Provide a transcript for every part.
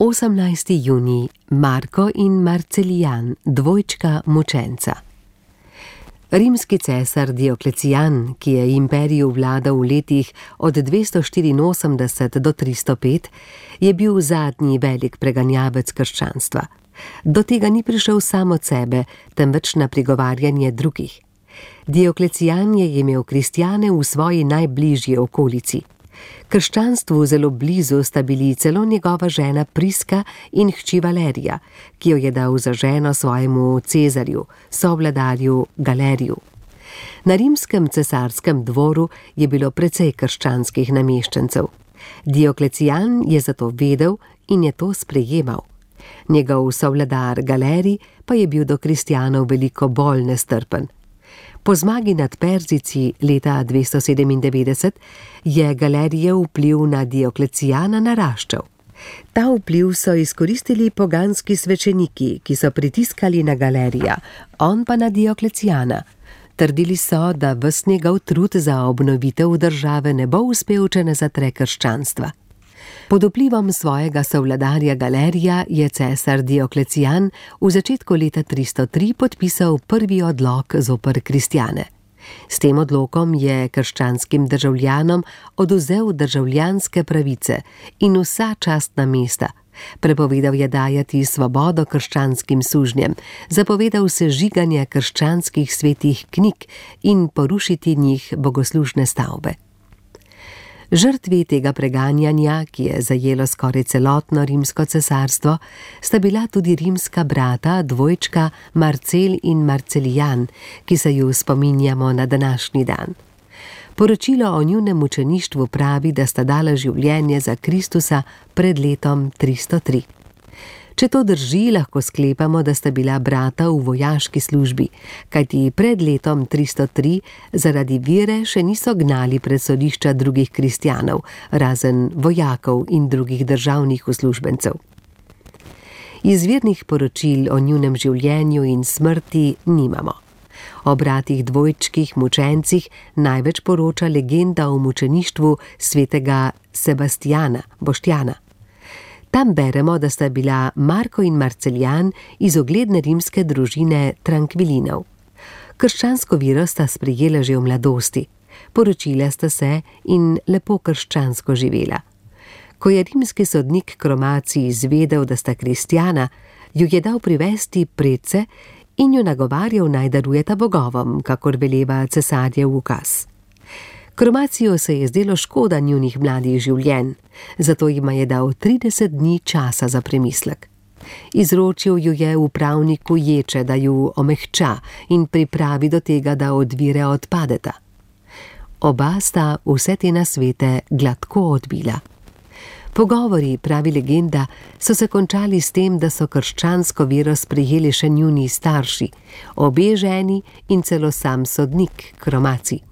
18. junij, Marko in Marcelijan, dvojčka mučenca. Rimski cesar Dioklecijan, ki je imperiju vladal v letih od 284 do 305, je bil zadnji velik preganjavec krščanstva. Do tega ni prišel sam od sebe, temveč na prigovarjanje drugih. Dioklecijan je imel kristjane v svoji najbližji okolici. Krščanstvu zelo blizu sta bili celo njegova žena Priska in hči Valerija, ki jo je dal za ženo svojemu Cezarju, sovladarju Galeriju. Na rimskem cesarskem dvoru je bilo precej krščanskih nameščencev. Dioklecijan je zato vedel in je to sprejemal. Njegov sovladar Galerij pa je bil do kristjanov veliko bolj nestrpen. Po zmagi nad Perzijci leta 297 je Galerijev vpliv na Dioklecijana naraščal. Ta vpliv so izkoristili poganski svečeniki, ki so pritiskali na Galerija, on pa na Dioklecijana. Trdili so, da ves njegov trud za obnovitev države ne bo uspel, če ne zatre krščanstva. Pod vplivom svojega sovladarja Galerija je cesar Dioklecijan v začetku leta 303 podpisal prvi odlok zoper kristjane. S tem odlokom je krščanskim državljanom odvzel državljanske pravice in vsa častna mesta. Prepovedal je dajati svobodo krščanskim sužnjem, zapovedal sežiganje krščanskih svetih knjig in porušiti njih bogoslužne stavbe. Žrtvi tega preganjanja, ki je zajelo skoraj celotno rimsko cesarstvo, sta bila tudi rimska brata, dvojčka Marcel in Marcelijan, ki se ju spominjamo na današnji dan. Poročilo o njunem mučeništvu pravi, da sta dala življenje za Kristusa pred letom 303. Če to drži, lahko sklepamo, da sta bila brata v vojaški službi, kajti pred letom 303 zaradi vere še niso gnali pred sodišča drugih kristjanov, razen vojakov in drugih državnih uslužbencev. Izvirnih poročil o njunem življenju in smrti nimamo. O bratih dvojčkih mučencih največ poroča legenda o mučeništvu svetega Sebastijana, Boštjana. Tam beremo, da sta bila Marko in Marcelijan iz ugledne rimske družine Trankvilinov. Krščansko vero sta sprejela že v mladosti, poročila sta se in lepo krščansko živela. Ko je rimski sodnik Kromacij izvedel, da sta kristjana, ju je dal privesti predse in ju nagovarjal, naj darujeta bogovom, kakor veleva cesarjev ukaz. Kromaciju se je zdelo škoda njunih mladih življenj, zato jima je dal 30 dni časa za premislek. Izročil ju je upravniku ječe, da ju omehča in pripravi do tega, da od vire odpadeta. Oba sta vse te nasvete gladko odbila. Pogovori, pravi legenda, so se končali s tem, da so krščansko vero sprejeli še njuni starši, obe ženi in celo sam sodnik Kromacij.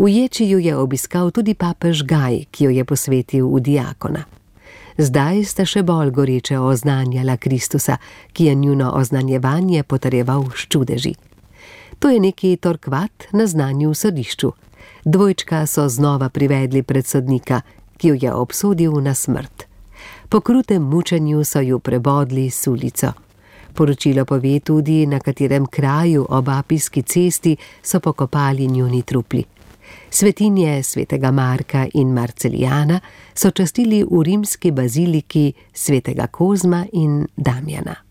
V ječi ju je obiskal tudi papež Gaj, ki jo je posvetil v diakona. Zdaj sta še bolj goreče oznanjala Kristusa, ki je njuno oznanjevanje potrjeval s čudeži. To je neki Torkvat na znanju v sodišču. Dvojčka so znova privedli pred sodnika, ki jo je obsodil na smrt. Po krutem mučenju so ju prebodli s ulico. Poročilo pove tudi, na katerem kraju ob Apijski cesti so pokopali njuni trupli. Svetinje svetega Marka in Marcelijana so častili v rimski baziliki svetega Kozma in Damjana.